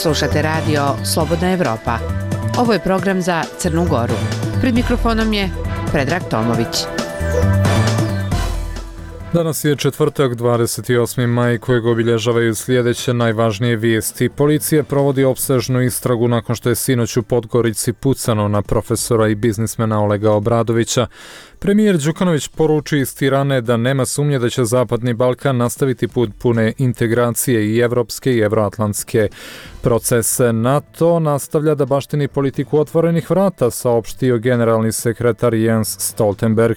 Slušate radio Slobodna Evropa. Ovo je program za Crnu Goru. Pred mikrofonom je Predrag Tomović. Danas je četvrtak, 28. maj, kojeg obilježavaju sljedeće najvažnije vijesti. Policija provodi opsežnu istragu nakon što je sinoć u Podgorici pucano na profesora i biznismena Olega Obradovića. Premijer Đukanović poruči iz Tirane da nema sumnje da će Zapadni Balkan nastaviti put pune integracije i evropske i evroatlantske procese. NATO nastavlja da baštini politiku otvorenih vrata, saopštio generalni sekretar Jens Stoltenberg.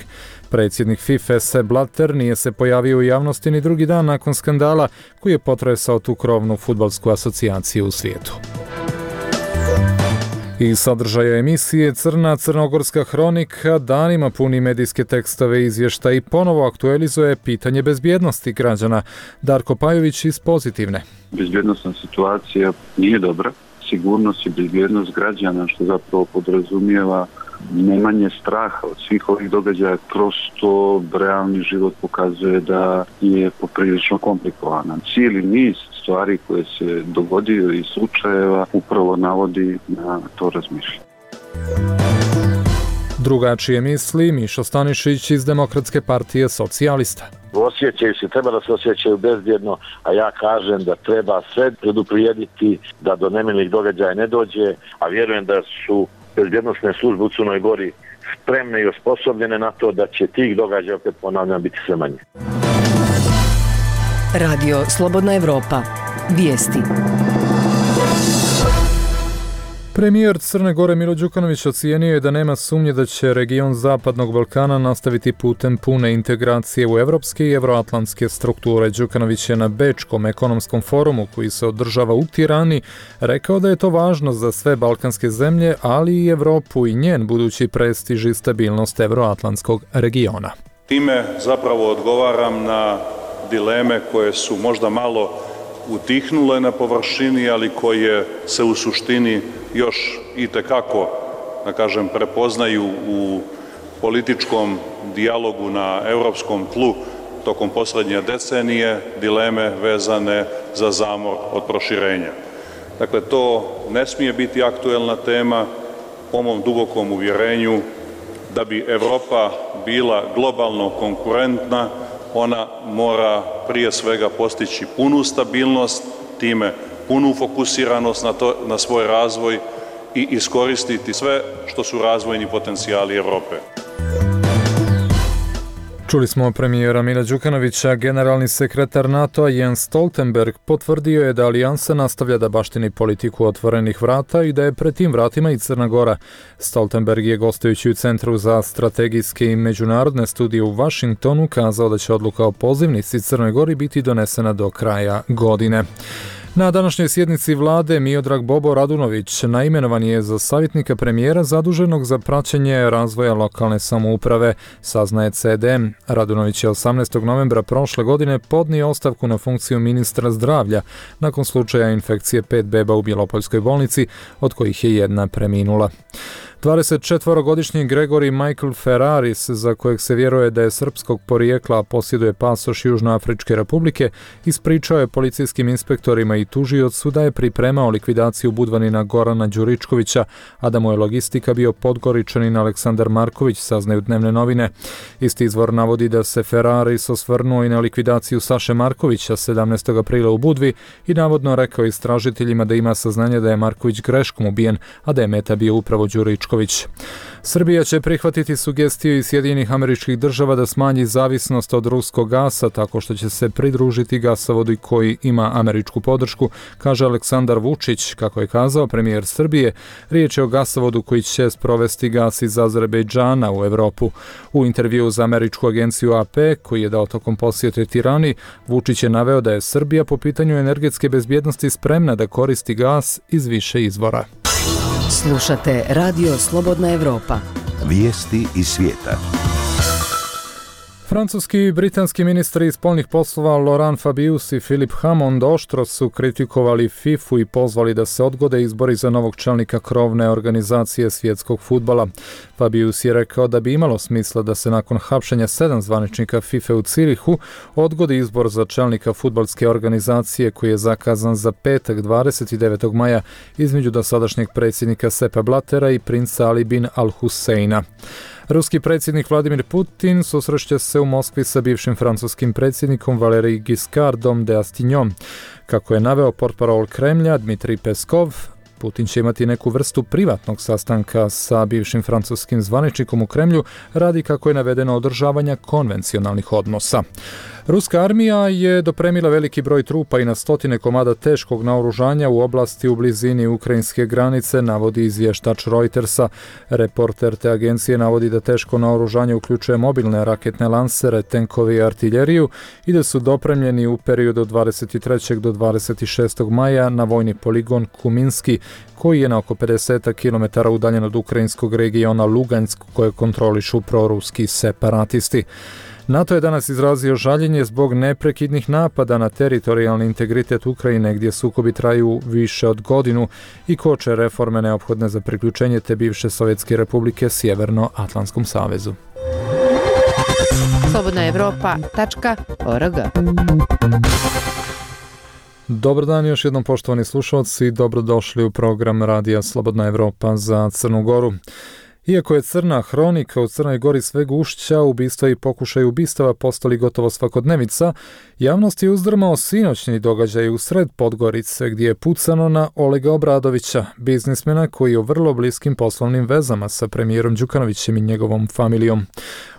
Predsjednik FIFA Sepp Blatter nije se pojavio u javnosti ni drugi dan nakon skandala koji je potresao tu krovnu fudbalsku asocijaciju u svijetu. I sadržaja emisije Crna crnogorska hronika danima puni medijske tekstove izvještaja i ponovo aktualizuje pitanje bezbjednosti građana. Darko Pajović iz Pozitivne. Bezbjednostna situacija nije dobra. Sigurnost i bezbjednost građana, što zapravo podrazumijeva nemanje straha od svih ovih događaja, prosto realni život pokazuje da je poprilično komplikovan. Cijeli niz stvari koje se dogodio i slučajeva upravo navodi na to razmišljanje. Drugačije misli Mišo Stanišić iz Demokratske partije socijalista. Osjećaju se, treba da se osjećaju bezbjedno, a ja kažem da treba sve preduprijediti da do nemilih događaja ne dođe, a vjerujem da su bezbjednosne službe u Crnoj Gori spremne i osposobljene na to da će tih događaja, opet ponavljam, biti sve manje. Radio Slobodna Evropa. Vijesti. Premijer Crne Gore Milo Đukanović ocijenio je da nema sumnje da će region Zapadnog Balkana nastaviti putem pune integracije u evropske i evroatlantske strukture. Đukanović je na Bečkom ekonomskom forumu koji se održava u Tirani rekao da je to važno za sve balkanske zemlje, ali i Evropu i njen budući prestiž i stabilnost evroatlantskog regiona. Time zapravo odgovaram na dileme koje su možda malo utihnule na površini, ali koje se u suštini još itekako, da kažem, prepoznaju u političkom dijalogu na europskom tlu tokom posljednje decenije, dileme vezane za zamor od proširenja. Dakle, to ne smije biti aktuelna tema. Po mom dubokom uvjerenju da bi Europa bila globalno konkurentna, ona mora prije svega postići punu stabilnost, time punu fokusiranost na svoj razvoj i iskoristiti sve što su razvojni potencijali Europe. Čuli smo premijera Mila Đukanovića. Generalni sekretar NATO-a Jens Stoltenberg potvrdio je da alijansa nastavlja da baštini politiku otvorenih vrata i da je pred tim vratima i Crna Gora. Stoltenberg je gostujući u Centru za strategijske i međunarodne studije u Vašingtonu kazao da će odluka o pozivnici Crnoj Gori biti donesena do kraja godine. Na današnjoj sjednici vlade Miodrag Bobo Radunović naimenovan je za savjetnika premijera zaduženog za praćenje razvoja lokalne samouprave, saznaje CDM. Radunović je 18. novembra prošle godine podnio ostavku na funkciju ministra zdravlja nakon slučaja infekcije 5 beba u Bjelopoljskoj bolnici, od kojih je jedna preminula. 24-godišnji Gregory Michael Ferraris, za kojeg se vjeruje da je srpskog porijekla, posjeduje pasoš Južnoafričke republike, ispričao je policijskim inspektorima i tužiocu da je pripremao likvidaciju budvanina Gorana Đuričkovića, a da mu je logistika bio Podgoričanin Aleksandar Marković, saznaju dnevne novine. Isti izvor navodi da se Ferraris osvrnuo i na likvidaciju Saše Markovića 17. aprila u Budvi i navodno rekao istražiteljima da ima saznanje da je Marković greškom ubijen, a da je meta bio upravo Đuričković. Srbija će prihvatiti sugestiju iz Sjedinjenih Američkih Država da smanji zavisnost od ruskog gasa tako što će se pridružiti gasovodu koji ima američku podršku, kaže Aleksandar Vučić. Kako je kazao premijer Srbije, riječ je o gasovodu koji će sprovesti gas iz Azerbejdžana u Evropu. U intervjuu za američku agenciju AP, koji je dao tokom posjete Tirani, Vučić je naveo da je Srbija po pitanju energetske bezbjednosti spremna da koristi gas iz više izvora. Slušate Radio Slobodna Evropa. Vijesti iz svijeta. Francuski i britanski ministri spoljnih poslova Laurent Fabius i Philippe Hammond oštro su kritikovali FIFA i pozvali da se odgode izbori za novog čelnika krovne organizacije svjetskog fudbala. Fabius je rekao da bi imalo smisla da se nakon hapšenja 7 zvaničnika FIFA u Cirihu odgodi izbor za čelnika fudbalske organizacije koji je zakazan za petak 29. maja između dosadašnjeg predsjednika Seppa Blattera i princa Ali bin Al-Husseina. Ruski predsjednik Vladimir Putin susreće se u Moskvi sa bivšim francuskim predsjednikom Valéry Giscardom d'Estaingom. Kako je naveo portparol Kremlja Dmitrij Peskov, Putin će imati neku vrstu privatnog sastanka sa bivšim francuskim zvaničnikom u Kremlju radi, kako je navedeno, održavanja konvencionalnih odnosa. Ruska armija je dopremila veliki broj trupa i na stotine komada teškog naoružanja u oblasti u blizini ukrajinske granice, navodi izvještač Reutersa. Reporter te agencije navodi da teško naoružanje uključuje mobilne raketne lansere, tenkove i artiljeriju i da su dopremljeni u periodu od 23. do 26. maja na vojni poligon Kuminski, koji je na oko 50 km udaljen od ukrajinskog regiona Lugansk, koje kontrolišu proruski separatisti. NATO je danas izrazio žaljenje zbog neprekidnih napada na teritorijalni integritet Ukrajine, gdje sukobi traju više od godinu i koče reforme neophodne za priključenje te bivše Sovjetske republike Sjevernoatlantskom savezu. slobodnaevropa.org. Dobar dan još jednom, poštovani slušalci, dobrodošli u program Radija Slobodna Evropa za Crnu Goru. Iako je crna hronika u Crnoj Gori sve gušća, ubistva i pokušaj ubistava postali gotovo svakodnevica, javnost je uzdrmao sinoćni događaj u sred Podgorice, gdje je pucano na Olega Obradovića, biznismena koji je u vrlo bliskim poslovnim vezama sa premijerom Đukanovićem i njegovom familijom.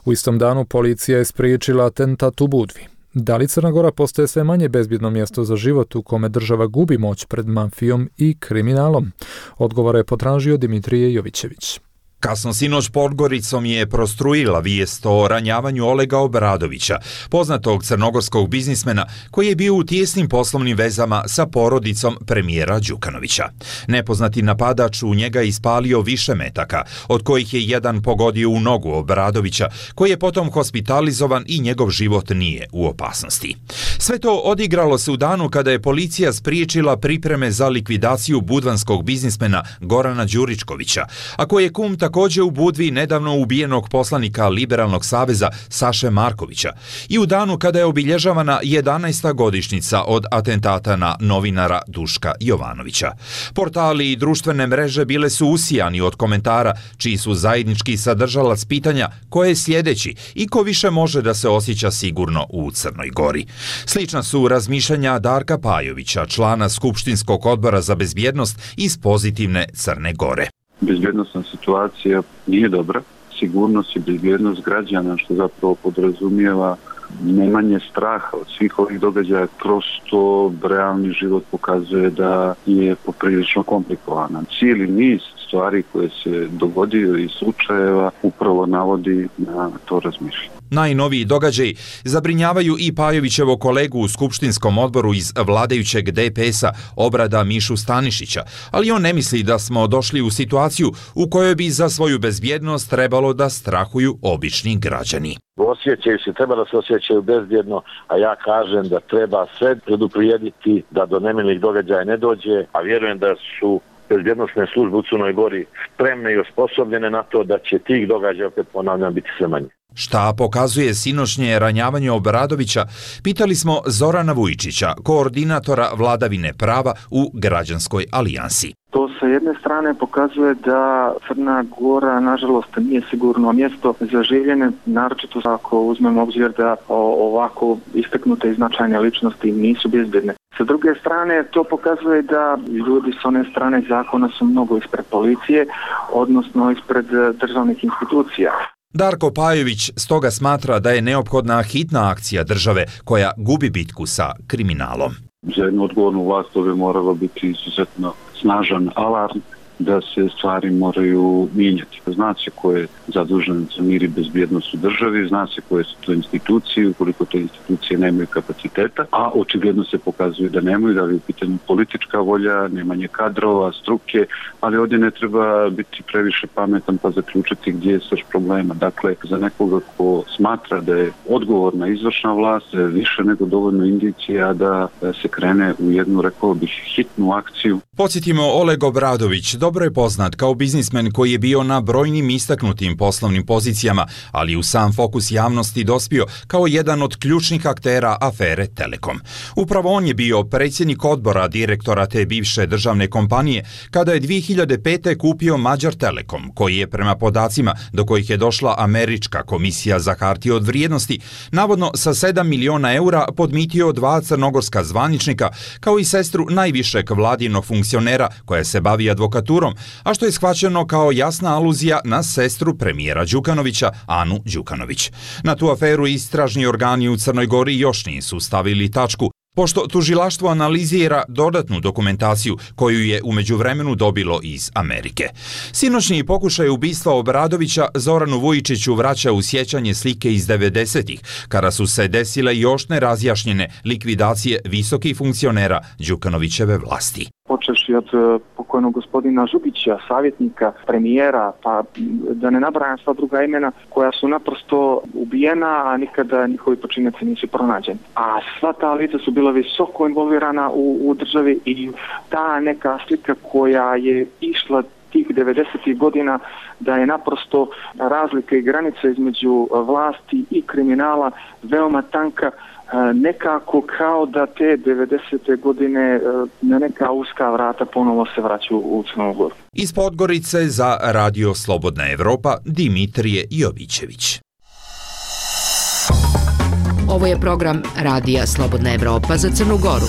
U istom danu policija je spriječila atentat u Budvi. Da li Crna Gora postaje sve manje bezbjedno mjesto za život u kome država gubi moć pred mafijom i kriminalom? Odgovore je potražio Dimitrije Jovićević. Kasno sinoć Podgoricom je prostruila vijest o ranjavanju Olega Obradovića, poznatog crnogorskog biznismena koji je bio u tijesnim poslovnim vezama sa porodicom premijera Đukanovića. Nepoznati napadač u njega ispalio više metaka, od kojih je jedan pogodio u nogu Obradovića, koji je potom hospitalizovan i njegov život nije u opasnosti. Sve to odigralo se u danu kada je policija spriječila pripreme za likvidaciju budvanskog biznismena Gorana Đuričkovića, a koji je kum također u Budvi nedavno ubijenog poslanika Liberalnog saveza Saše Markovića i u danu kada je obilježavana 11. godišnjica od atentata na novinara Duška Jovanovića. Portali i društvene mreže bile su usijani od komentara čiji su zajednički sadržalac pitanja ko je sljedeći i ko više može da se osjeća sigurno u Crnoj Gori. Slična su razmišljanja Darka Pajovića, člana Skupštinskog odbora za bezbjednost iz pozitivne Crne Gore. Bezbjednostna situacija nije dobra. Sigurnost i bezbjednost građana, što zapravo podrazumijeva nemanje straha od svih ovih događaja, kroz to realni život pokazuje da je poprilično komplikovan. Cijeli niz stvari koje se dogodio i slučajeva upravo navodi na to razmišljanje. Najnoviji događaj zabrinjavaju i Pajovićevo kolegu u skupštinskom odboru iz vladajućeg DPS-a Obrada Mišu Stanišića, ali on ne misli da smo došli u situaciju u kojoj bi za svoju bezbjednost trebalo da strahuju obični građani. Osjećaju se, treba da se osjećaju bezbjedno, a ja kažem da treba sve preduprijediti da do nemilih događaja ne dođe, a vjerujem da su bezbjednosne službe u Crnoj Gori spremne i osposobljene na to da će tih događaja, opet ponavljam, biti sve manje. Šta pokazuje sinoćnje ranjavanje Obradovića, pitali smo Zorana Vujčića, koordinatora vladavine prava u Građanskoj alijansi. To sa jedne strane pokazuje da Crna Gora nažalost nije sigurno mjesto za življenje, naročito ako uzmemo obzir da ovako istaknute i značajne ličnosti nisu bezbjedne. Sa druge strane, to pokazuje da ljudi s one strane zakona su mnogo ispred policije, odnosno ispred državnih institucija. Darko Pajović stoga smatra da je neophodna hitna akcija države koja gubi bitku sa kriminalom. Za jednu odgovornu vlast to bi moralo biti izuzetno snažan alarm da se stvari moraju mijenjati. Zna se ko je zadužen za mir i bezbjednost u državi, zna se koje su to institucije, ukoliko te institucije nemaju kapaciteta, a očigledno se pokazuje da nemaju, da li je u pitanju politička volja, nemanje kadrova, struke, ali ovdje ne treba biti previše pametan pa zaključiti gdje je srž problema. Dakle, za nekoga ko smatra da je odgovorna izvršna vlast, više nego dovoljno indicija da se krene u jednu, rekao bih, hitnu akciju. Podsjetimo, Oleg Obradović dobro je poznat kao biznismen koji je bio na brojnim istaknutim poslovnim pozicijama, ali u sam fokus javnosti dospio kao jedan od ključnih aktera afere Telekom. Upravo on je bio predsjednik odbora direktora te bivše državne kompanije kada je 2005. kupio Mađar Telekom, koji je prema podacima do kojih je došla Američka komisija za hartije od vrijednosti navodno sa 7 miliona eura podmitio 2 crnogorska zvaničnika kao i sestru najvišeg vladinog funkcionera koja se bavi advokaturom, a što je shvaćeno kao jasna aluzija na sestru premijera Đukanovića, Anu Đukanović. Na tu aferu istražni organi u Crnoj Gori još nisu stavili tačku, pošto tužilaštvo analizira dodatnu dokumentaciju koju je u međuvremenu dobilo iz Amerike. Sinoćni pokušaj ubistva Obradovića Zoranu Vujičiću vraća u sjećanje slike iz 90-ih, kada su se desile još nerazjašnjene likvidacije visokih funkcionera Đukanovićeve vlasti. Počevši od pokojnog gospodina Župića, savjetnika, premijera, pa da ne nabrajam sva druga imena koja su naprosto ubijena, a nikada njihovi počinioci nisu pronađeni. A sva ta lica su bila visoko involvirana u državi i ta neka slika koja je išla tih 90. godina da je naprosto razlika i granica između vlasti i kriminala veoma tanka, nekako kao da te 90. godine na neka uska vrata ponovo se vraćaju u Crnu Goru. Iz Podgorice za Radio Slobodna Evropa Dimitrije Jovićević. Ovo je program Radija Slobodna Evropa za Crnu Goru.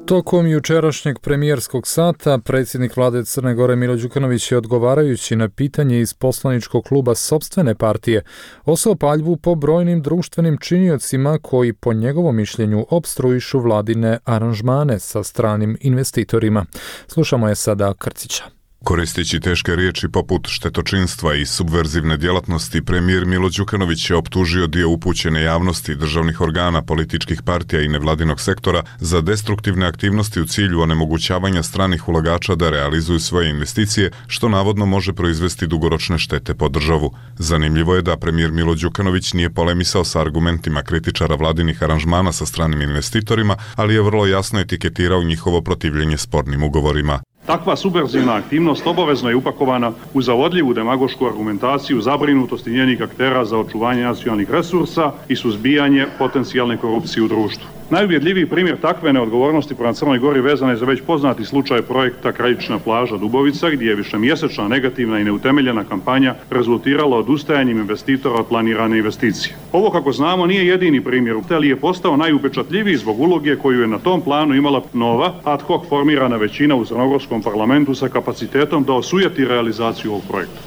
Tokom jučerašnjeg premijerskog sata predsjednik vlade Crne Gore Milo Đukanović je, odgovarajući na pitanje iz poslaničkog kluba sopstvene partije, osao paljbu po brojnim društvenim činiocima koji po njegovom mišljenju opstruišu vladine aranžmane sa stranim investitorima. Slušamo je sada Krcića. Koristeći teške riječi poput štetočinstva i subverzivne djelatnosti, premijer Milo Đukanović je optužio dio upućene javnosti, državnih organa, političkih partija i nevladinog sektora za destruktivne aktivnosti u cilju onemogućavanja stranih ulagača da realizuju svoje investicije, što navodno može proizvesti dugoročne štete po državu. Zanimljivo je da premijer Milo Đukanović nije polemisao sa argumentima kritičara vladinih aranžmana sa stranim investitorima, ali je vrlo jasno etiketirao njihovo protivljenje spornim ugovorima. Takva subverzivna aktivnost obavezno je upakovana u zavodljivu demagošku argumentaciju zabrinutosti njenih aktera za očuvanje nacionalnih resursa i suzbijanje potencijalne korupcije u društvu. Najuvjedljiviji primjer takve neodgovornosti prema Crnoj Gori vezan je za već poznati slučaj projekta Krajična plaža Dubovica, gdje je višemjesečna negativna i neutemeljena kampanja rezultirala odustajanjem investitora od planirane investicije. Ovo, kako znamo, nije jedini primjer, ali je postao najupečatljiviji zbog uloge koju je na tom planu imala nova, ad hoc formirana većina u crnogorskom parlamentu sa kapacitetom da osujeti realizaciju ovog projekta.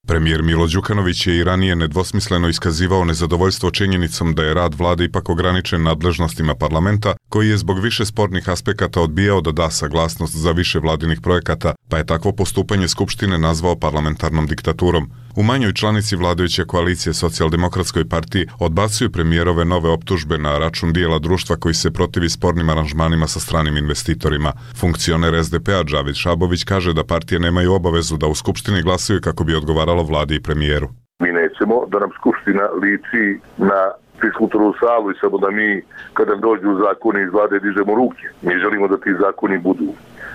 Premijer Milo Đukanović je i ranije nedvosmisleno iskazivao nezadovoljstvo činjenicom da je rad vlade ipak ograničen nadležnostima parlamenta, koji je zbog više spornih aspekata odbijao da da saglasnost za više vladinih projekata, pa je takvo postupanje Skupštine nazvao parlamentarnom diktaturom. U manjoj članici vladajuće koalicije Socijaldemokratskoj partiji odbacuju premijerove nove optužbe na račun dijela društva koji se protivi spornim aranžmanima sa stranim investitorima. Funkcioner SDP-a Džavid Šabović kaže da partije nemaju obavezu da u Skupštini glasuju kako bi odgovaralo vladi i premijeru. Mi nećemo da nam Skupština liči na fiskulturnu salu i samo da mi kada dođu zakoni iz vlade dižemo ruke. Mi želimo da ti zakoni budu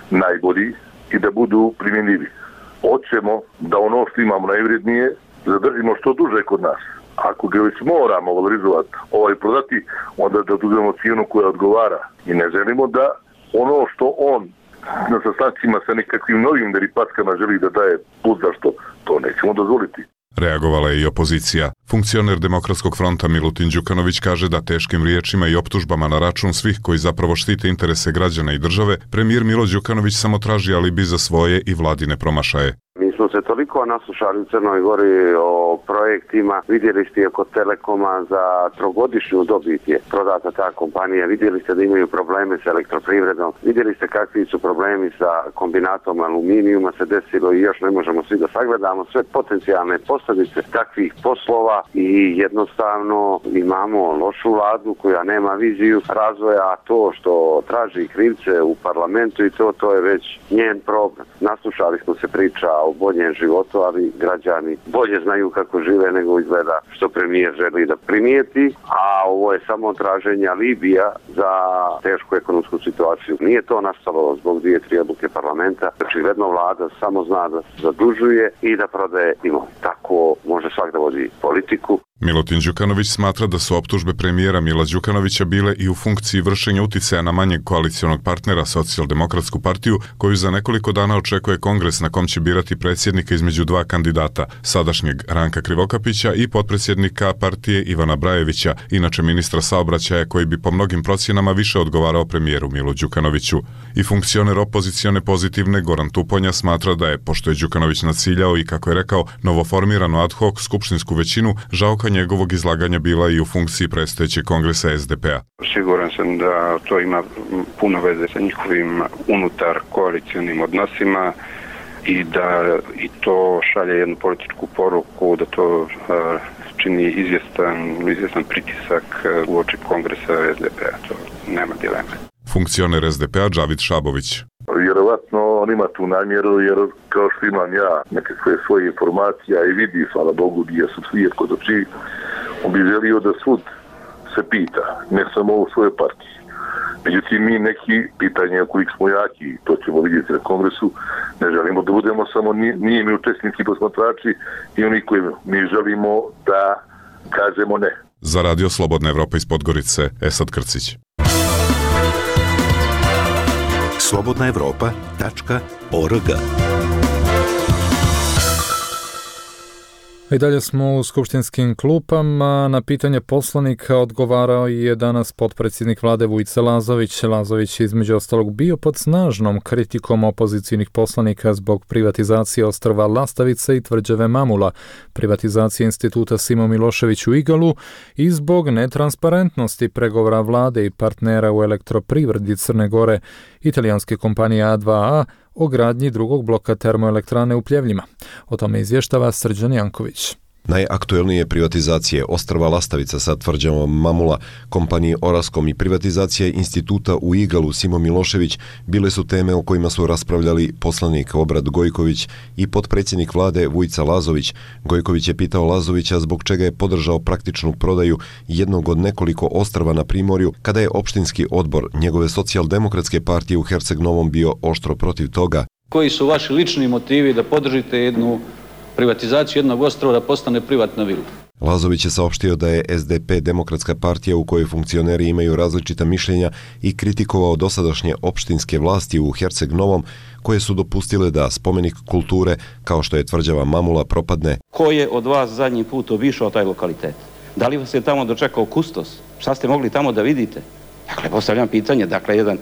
najbolji i da budu primjenjivi. Hoćemo da ono što imamo najvrednije zadržimo što duže kod nas. Ako ga već moramo valorizovati, prodati, onda da uzmemo cijenu koja odgovara. I ne želimo da ono što on na sastancima sa nekakvim novim deripatkama želi da daje put zašto, to nećemo dozvoliti. Reagovala je i opozicija. Funkcioner Demokratskog fronta Milutin Đukanović kaže da teškim riječima i optužbama na račun svih koji zapravo štite interese građana i države, premijer Milo Đukanović samo traži alibi za svoje i vladine promašaje. Mi smo smo se toliko naslušali u Crnoj Gori o projektima, vidjeli ste kod Telekoma za trogodišnju dobit je prodata ta kompanija, vidjeli ste da imaju probleme sa elektroprivredom, vidjeli ste kakvi su problemi sa kombinatom aluminijuma se desilo i još ne možemo svi da sagledamo sve potencijalne posljedice takvih poslova i jednostavno imamo lošu vladu koja nema viziju razvoja, a to što traži krivce u parlamentu i to je već njen problem. Naslušali smo se priča o boljem životu, ali građani bolje znaju kako žive nego izgleda što premijer želi da primijeti, a ovo je samo traženje alibija za tešku ekonomsku situaciju. Nije to nastalo zbog 2-3 odluke parlamenta. Očigledno vlada samo zna da se zadužuje i da prodaje imovinu. Tako može svak da vodi politiku. Milutin Đukanović smatra da su optužbe premijera Mila Đukanovića bile i u funkciji vršenja uticaja na manjeg koalicionog partnera Socijaldemokratsku partiju, koju za nekoliko dana očekuje kongres na kom će birati predsjednika između dva kandidata, sadašnjeg Ranka Krivokapića i potpredsjednika partije Ivana Brajevića, inače ministra saobraćaja koji bi po mnogim procjenama više odgovarao premijeru Milu Đukanoviću. I funkcioner opozicione Pozitivne Goran Tuponja smatra da je, pošto je Đukanović naciljao i, kako je rekao, novoformiranu ad hoc skupštinsku većinu, žalka njegovog izlaganja bila i u funkciji predstojećeg kongresa SDP-a. Siguran sam da to ima puno veze sa njihovim unutar koalicionim odnosima i da i to šalje jednu političku poruku, da to čini izvjestan pritisak uoči kongresa SDP-a. To nema dileme. Funkcioner SDP-a Džavid Šabović. Vjerovatno on ima tu namjeru, jer kao što imam ja nekakve svoje informacije i vidi, hvala Bogu, gdje su svijet kod oči, on bi želio da svud se pita, ne samo u svojoj partiji. Međutim, mi neki pitanja kojih smo jaki, to ćemo vidjeti na kongresu, ne želimo da budemo samo nije mi učesnici posmatrači i oni koji mi želimo da kažemo ne. Za Radio Slobodna Evropa iz Podgorice, Esad Krcić. slobodnaevropa.org. I dalje smo u skupštinskim klupama. Na pitanje poslanika odgovarao je danas potpredsjednik vlade Vujica Lazović. Lazović je između ostalog bio pod snažnom kritikom opozicijnih poslanika zbog privatizacije ostrva Lastavice i tvrđave Mamula, privatizacije instituta Simo Milošević u Igalu i zbog netransparentnosti pregovora vlade i partnera u elektroprivredi Crne Gore, italijanske kompanije A2A, o gradnji drugog bloka termoelektrane u Pljevljima. O tome izvještava Srđan Janković. Najaktuelnije privatizacije ostrva Lastavica sa tvrđavom Mamula, kompaniji Oraskom i privatizacije instituta u Igalu Simo Milošević bile su teme o kojima su raspravljali poslanik Obrad Gojković i potpredsjednik vlade Vujica Lazović. Gojković je pitao Lazovića zbog čega je podržao praktičnu prodaju jednog od nekoliko ostrva na Primorju, kada je opštinski odbor njegove Socijaldemokratske partije u Herceg Novom bio oštro protiv toga. Koji su vaši lični motivi da podržite jednu privatizaciju jednog ostrva da postane privatna vila? Lazović je saopštio da je SDP demokratska partija u kojoj funkcioneri imaju različita mišljenja i kritikovao dosadašnje opštinske vlasti u Herceg Novom koje su dopustile da spomenik kulture kao što je tvrđava Mamula propadne. Ko je od vas zadnji put obišao taj lokalitet? Da li vas je tamo dočekao kustos? Šta ste mogli tamo da vidite? Dakle, postavljam pitanje, jedan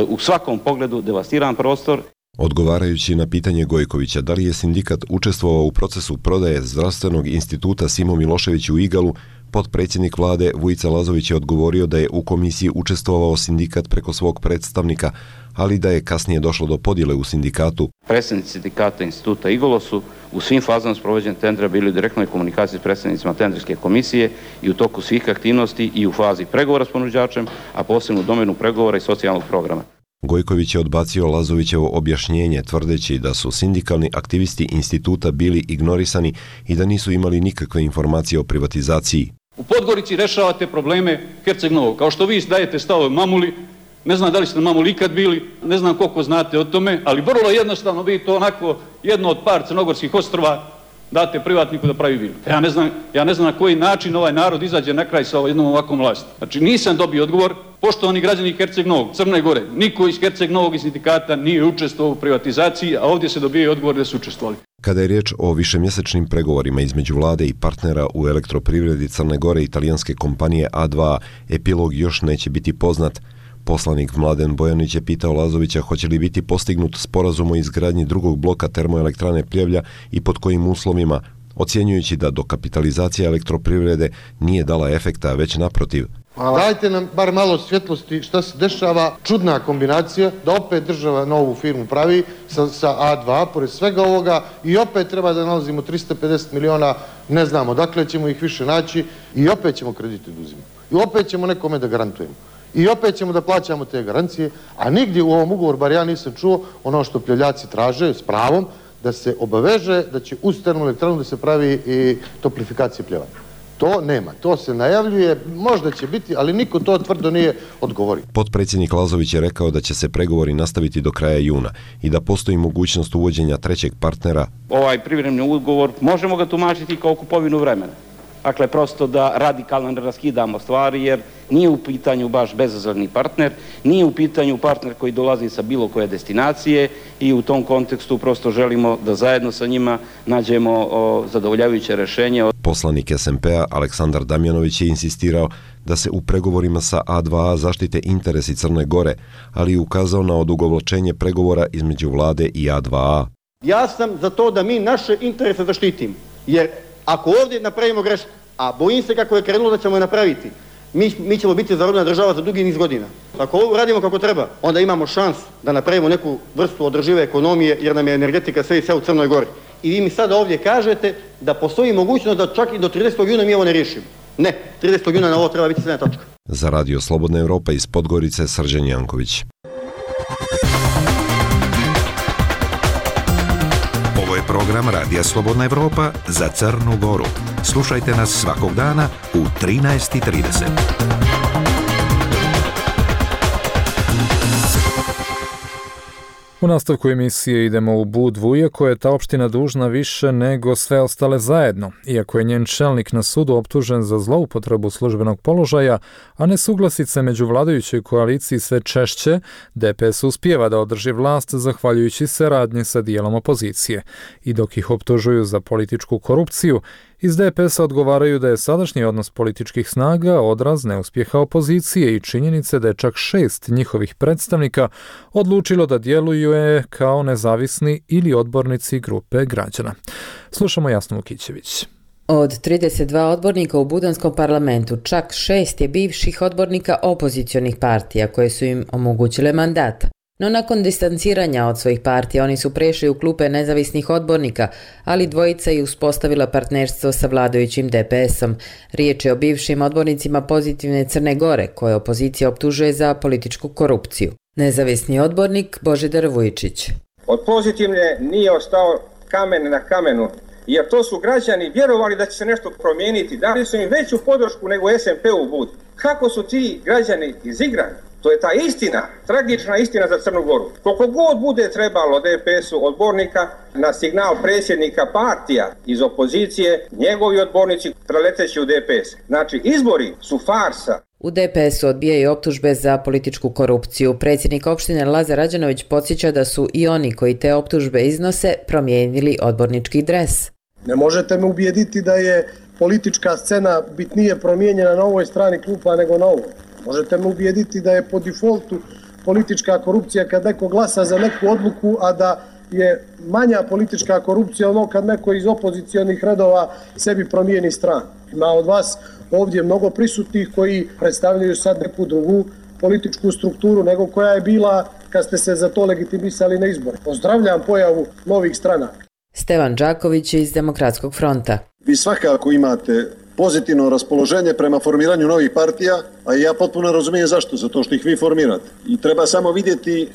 u svakom pogledu devastiran prostor. Odgovarajući na pitanje Gojkovića da li je sindikat učestvovao u procesu prodaje zdravstvenog instituta Simo Milošević u Igalu, potpredsjednik vlade Vujica Lazović je odgovorio da je u komisiji učestvovao sindikat preko svog predstavnika, ali da je kasnije došlo do podjele u sindikatu. Predstavnici sindikata instituta Igalo su u svim fazama sprovođenja tendera bili u direktnoj komunikaciji s predstavnicima tenderske komisije i u toku svih aktivnosti i u fazi pregovora s ponuđačem, a posebno u domenu pregovora i socijalnog programa. Gojković je odbacio Lazovićevo objašnjenje tvrdeći da su sindikalni aktivisti instituta bili ignorisani i da nisu imali nikakve informacije o privatizaciji. U Podgorici rešavate probleme Herceg Novog. Kao što vi dajete stavove Mamuli, ne znam da li ste na Mamuli ikad bili, ne znam koliko znate o tome, ali vrlo jednostavno vi to onako jedno od par crnogorskih ostrva date privatniku da pravi vilu. Ja ne znam na koji način ovaj narod izađe na kraj sa jednom ovakvom vlasti. Znači nisam dobio odgovor. Poštovani građani Herceg Novog, Crne Gore, niko iz Herceg Novog i sindikata nije učestvovao u privatizaciji, a ovdje se dobije odgovor da su učestvovali. Kada je riječ o višemjesečnim pregovorima između vlade i partnera u elektroprivredi Crne Gore i italijanske kompanije A2A, epilog još neće biti poznat. Poslanik Mladen Bojanić je pitao Lazovića hoće li biti postignut sporazum o izgradnji drugog bloka termoelektrane Pljevlja i pod kojim uslovima, ocjenjujući da dokapitalizacija elektroprivrede nije dala efekta, već naprotiv. Hvala. Dajte nam bar malo svjetlosti šta se dešava, čudna kombinacija, da opet država novu firmu pravi sa A2, pored svega ovoga, i opet treba da nalazimo 350 miliona, ne znamo dakle ćemo ih više naći, i opet ćemo kredite da uzimamo. I opet ćemo nekome da garantujemo. I opet ćemo da plaćamo te garancije, a nigdje u ovom ugovoru, bar ja nisam čuo, ono što Pljevljaci traže s pravom, da se obaveže da će uz termoelektranu da se pravi i toplifikacija Pljeva. To nema, to se najavljuje, možda će biti, ali niko to tvrdo nije odgovorio. Potpredsjednik Lazović je rekao da će se pregovori nastaviti do kraja juna i da postoji mogućnost uvođenja trećeg partnera. Ovaj privremeni ugovor možemo ga tumačiti kao kupovinu vremena. Dakle, prosto da radikalno ne raskidamo stvari, jer nije u pitanju baš bezazleni partner, nije u pitanju partner koji dolazi sa bilo koje destinacije i u tom kontekstu prosto želimo da zajedno sa njima nađemo zadovoljavajuće rješenje. Poslanik SMP-a Aleksandar Damjanović je insistirao da se u pregovorima sa A2A zaštite interesi Crne Gore, ali i ukazao na odugovlačenje pregovora između vlade i A2A. Ja sam za to da mi naše interese zaštitimo, jer ako ovdje napravimo grešku, a bojim se kako je krenulo da ćemo je napraviti, mi ćemo biti zarobljena država za dugi niz godina. Ako ovo radimo kako treba, onda imamo šansu da napravimo neku vrstu održive ekonomije, jer nam je energetika sve i sve u Crnoj Gori. I vi mi sada ovdje kažete da postoji mogućnost da čak i do 30. juna mi ovo ne riješimo. Ne, 30. juna na ovo treba biti sve točka. Za Radio Slobodna Evropa iz Podgorice, Srđan Janković. Ovo je program Radija Slobodna Evropa za Crnu Goru. Slušajte nas svakog dana u 13:30. U nastavku emisije idemo u Budvu, iako je ta opština dužna više nego sve ostale zajedno. Iako je njen čelnik na sudu optužen za zloupotrebu službenog položaja, a nesuglasice među vladajućoj koaliciji sve češće, DPS uspijeva da održi vlast zahvaljujući se radnje sa dijelom opozicije. I dok ih optužuju za političku korupciju, iz DPS-a odgovaraju da je sadašnji odnos političkih snaga odraz neuspjeha opozicije i činjenice da je čak 6 njihovih predstavnika odlučilo da djeluju kao nezavisni ili odbornici grupe građana. Slušamo Jasnu Vukićević. Od 32 odbornika u Budanskom parlamentu, čak 6 je bivših odbornika opozicionih partija koje su im omogućile mandat. No nakon distanciranja od svojih partija oni su prešli u klupe nezavisnih odbornika, ali dvojica je uspostavila partnerstvo sa vladajućim DPS-om. Riječ je o bivšim odbornicima Pozitivne Crne Gore, koje opozicija optužuje za političku korupciju. Nezavisni odbornik Božidar Vujčić. Od Pozitivne nije ostao kamen na kamenu, jer to su građani vjerovali da će se nešto promijeniti, dali su im veću podršku nego SMP-u Bud. Kako su ti građani izigrani? To je ta istina, tragična istina za Crnu Goru. Koliko god bude trebalo DPS-u odbornika na signal predsjednika partija iz opozicije, njegovi odbornici preleteći u DPS. Znači, izbori su farsa. U DPS-u odbijaju optužbe za političku korupciju. Predsjednik opštine Lazar Rađanović podsjeća da su i oni koji te optužbe iznose promijenili odbornički dres. Ne možete me ubijediti da je politička scena bitnije promijenjena na ovoj strani klupa nego na ovoj. Možete me ubijediti da je po defaultu politička korupcija kad neko glasa za neku odluku, a da je manja politička korupcija ono kad neko iz opozicionih redova sebi promijeni stranu. Ima od vas ovdje mnogo prisutnih koji predstavljaju sad neku drugu političku strukturu nego koja je bila kad ste se za to legitimisali na izbore. Pozdravljam pojavu novih stranaka. Stevan Đaković iz Demokratskog fronta. Vi svakako imate pozitivno raspoloženje prema formiranju novih partija, a ja potpuno razumijem zašto, zato što ih vi formirate. I treba samo vidjeti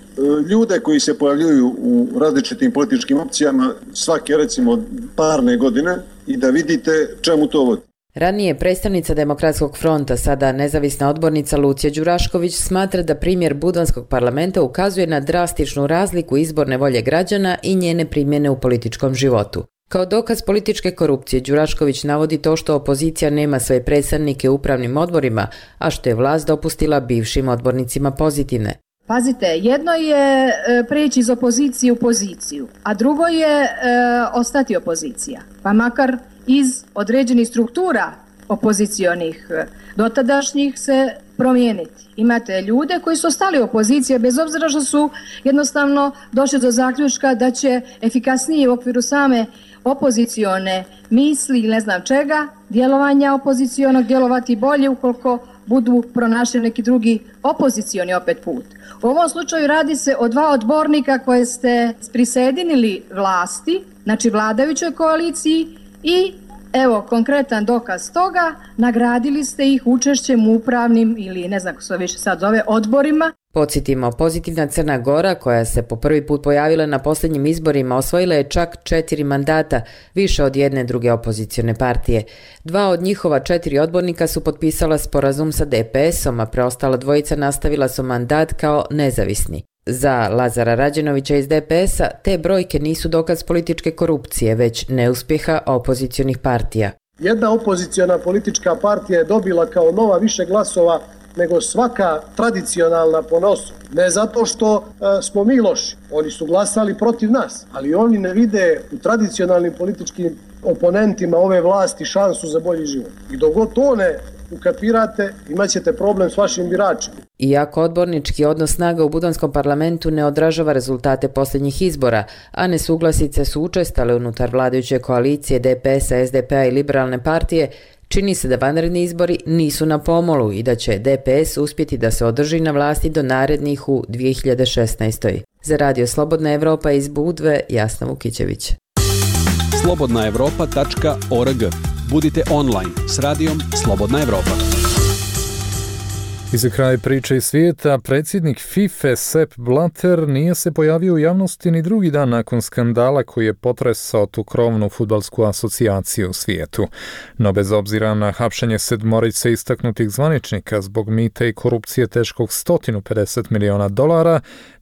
ljude koji se pojavljuju u različitim političkim opcijama svake recimo parne godine i da vidite čemu to vodi. Ranije predstavnica Demokratskog fronta, sada nezavisna odbornica Lucija Đurašković, smatra da primjer Budanskog parlamenta ukazuje na drastičnu razliku izborne volje građana i njene primjene u političkom životu. Kao dokaz političke korupcije, Đurašković navodi to što opozicija nema svoje predstavnike u upravnim odborima, a što je vlast dopustila bivšim odbornicima Pozitivne. Pazite, jedno je preći iz opozicije u poziciju, a drugo je ostati opozicija, pa makar iz određenih struktura opozicionih dotadašnjih se promijeniti. Imate ljude koji su ostali opozicije bez obzira što su jednostavno došli do zaključka da će efikasnije u okviru same opozicione misli ili ne znam čega, djelovanja opozicionog djelovati bolje ukoliko budu pronašli neki drugi opozicioni opet put. U ovom slučaju radi se o 2 odbornika koje ste prisedinili vlasti, znači vladajućoj koaliciji i evo konkretan dokaz toga, nagradili ste ih učešćem u upravnim ili ne znam kako se više sad zove odborima. Podsjetimo, pozitivna Crna Gora, koja se po prvi put pojavila na posljednjim izborima, osvojila je čak 4 mandata, više od jedne druge opozicione partije. 2 od njihova 4 odbornika su potpisala sporazum sa DPS-om, a preostala dvojica nastavila su mandat kao nezavisni. Za Lazara Rađenovića iz DPS-a te brojke nisu dokaz političke korupcije, već neuspjeha opozicionih partija. Jedna opoziciona politička partija je dobila kao nova više glasova nego svaka tradicionalna po nosu. Ne zato što smo mi loši, oni su glasali protiv nas, ali oni ne vide u tradicionalnim političkim oponentima ove vlasti šansu za bolji život. I dok god to ne ukapirate, imat ćete problem s vašim biračima. Iako odbornički odnos snaga u Budanskom parlamentu ne odražava rezultate posljednjih izbora, a nesuglasice su učestale unutar vladajuće koalicije DPS-a, SDP-a i Liberalne partije, čini se da vanredni izbori nisu na pomolu i da će DPS uspjeti da se održi na vlasti do narednih u 2016. Za Radio Slobodna Evropa iz Budve, Jasna Vukićević. slobodnaevropa.org. Budite online s radijom Slobodna Evropa. I za kraj priče iz svijeta, predsjednik FIFA Sepp Blatter nije se pojavio u javnosti ni drugi dan nakon skandala koji je potresao tu krovnu fudbalsku asocijaciju u svijetu. No bez obzira na hapšenje 7 istaknutih zvaničnika zbog mita i korupcije teškog $150 miliona,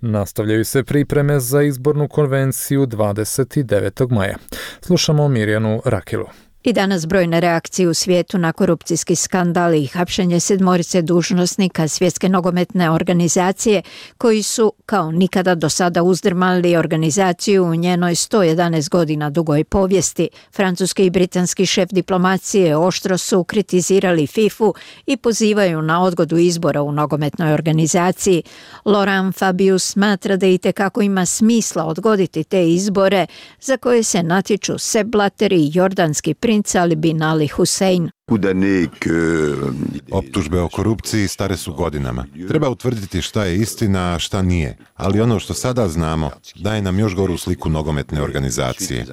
nastavljaju se pripreme za izbornu konvenciju 29. maja. Slušamo Mirjanu Rakilu. I danas brojne reakcije u svijetu na korupcijski skandal i hapšenje 7 dužnosnika Svjetske nogometne organizacije koji su kao nikada do sada uzdrmali organizaciju u njenoj 111 godina dugoj povijesti. Francuski i britanski šef diplomacije oštro su kritizirali FIFA i pozivaju na odgodu izbora u nogometnoj organizaciji. Laurent Fabius smatra da itekako ima smisla odgoditi te izbore za koje se natječu Sepp Blatter i jordanski princ Ali bin Ali Hussein. Optužbe o korupciji stare su godinama. Treba utvrditi šta je istina, a šta nije. Ali ono što sada znamo daje nam još goru sliku nogometne organizacije.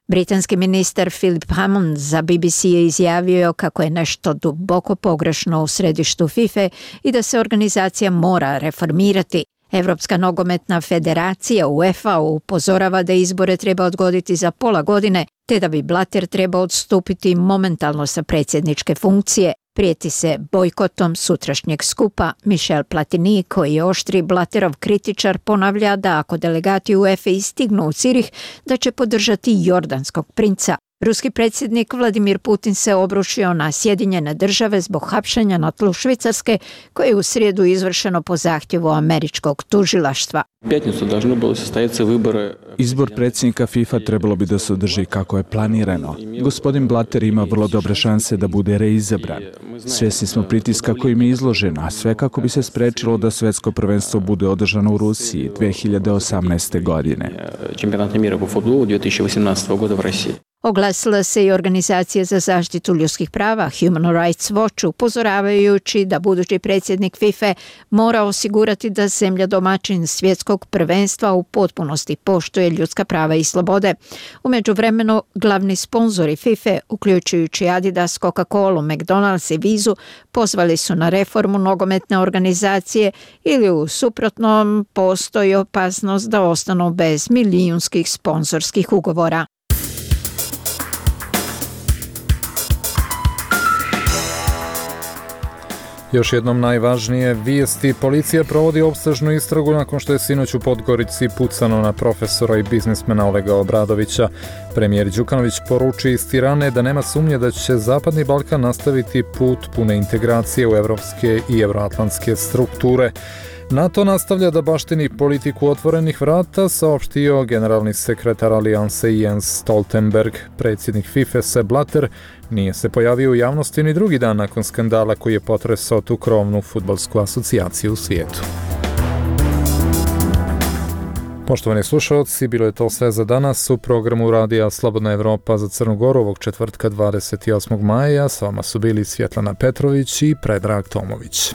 Britanski ministar Philip Hammond za BBC je izjavio kako je nešto duboko pogrešno u središtu FIFA i da se organizacija mora reformirati. Evropska nogometna federacija UEFA upozorava da izbore treba odgoditi za pola godine, te da bi Blatter trebao odstupiti momentalno sa predsjedničke funkcije. Prijeti se bojkotom sutrašnjeg skupa. Michel Platini, koji je oštri Blatterov kritičar, ponavlja da ako delegati UEFA stignu u Cirih, da će podržati jordanskog princa. Ruski predsjednik Vladimir Putin se obrušio na Sjedinjene Države zbog hapšenja na tlu Švicarske, koje je u srijedu izvršeno po zahtjevu američkog tužilaštva. Izbor predsjednika FIFA trebalo bi da se održi kako je planirano. Gospodin Blatter ima vrlo dobre šanse da bude reizabran. Svjesni smo pritiska kojim je izložen, a sve kako bi se sprečilo da svjetsko prvenstvo bude održano u Rusiji 2018. godine. Oglasila se i organizacija za zaštitu ljudskih prava Human Rights Watch, upozoravajući da budući predsjednik FIFA mora osigurati da zemlja domaćin svjetskog prvenstva u potpunosti poštuje ljudska prava i slobode. U međuvremenu glavni sponzori FIFA, uključujući Adidas, Coca-Cola, McDonald's i Vizu, pozvali su na reformu nogometne organizacije ili u suprotnom postoji opasnost da ostanu bez milijunskih sponzorskih ugovora. Još jednom najvažnije vijesti. Policija provodi opsežnu istragu nakon što je sinoć u Podgorici pucano na profesora i biznismena Olega Obradovića. Premijer Đukanović poruči iz Tirane da nema sumnje da će Zapadni Balkan nastaviti put pune integracije u evropske i euroatlantske strukture. NATO nastavlja da baštini politiku otvorenih vrata, saopštio generalni sekretar alijanse Jens Stoltenberg. Predsjednik FIFA Sepp Blatter nije se pojavio u javnosti ni drugi dan nakon skandala koji je potresao tu krovnu fudbalsku asocijaciju u svijetu. Poštovani slušalci, bilo je to sve za danas u programu Radija Slobodna Evropa za Crnu Goru ovog četvrtka 28. maja. S vama su bili Svjetlana Petrović i Predrag Tomović.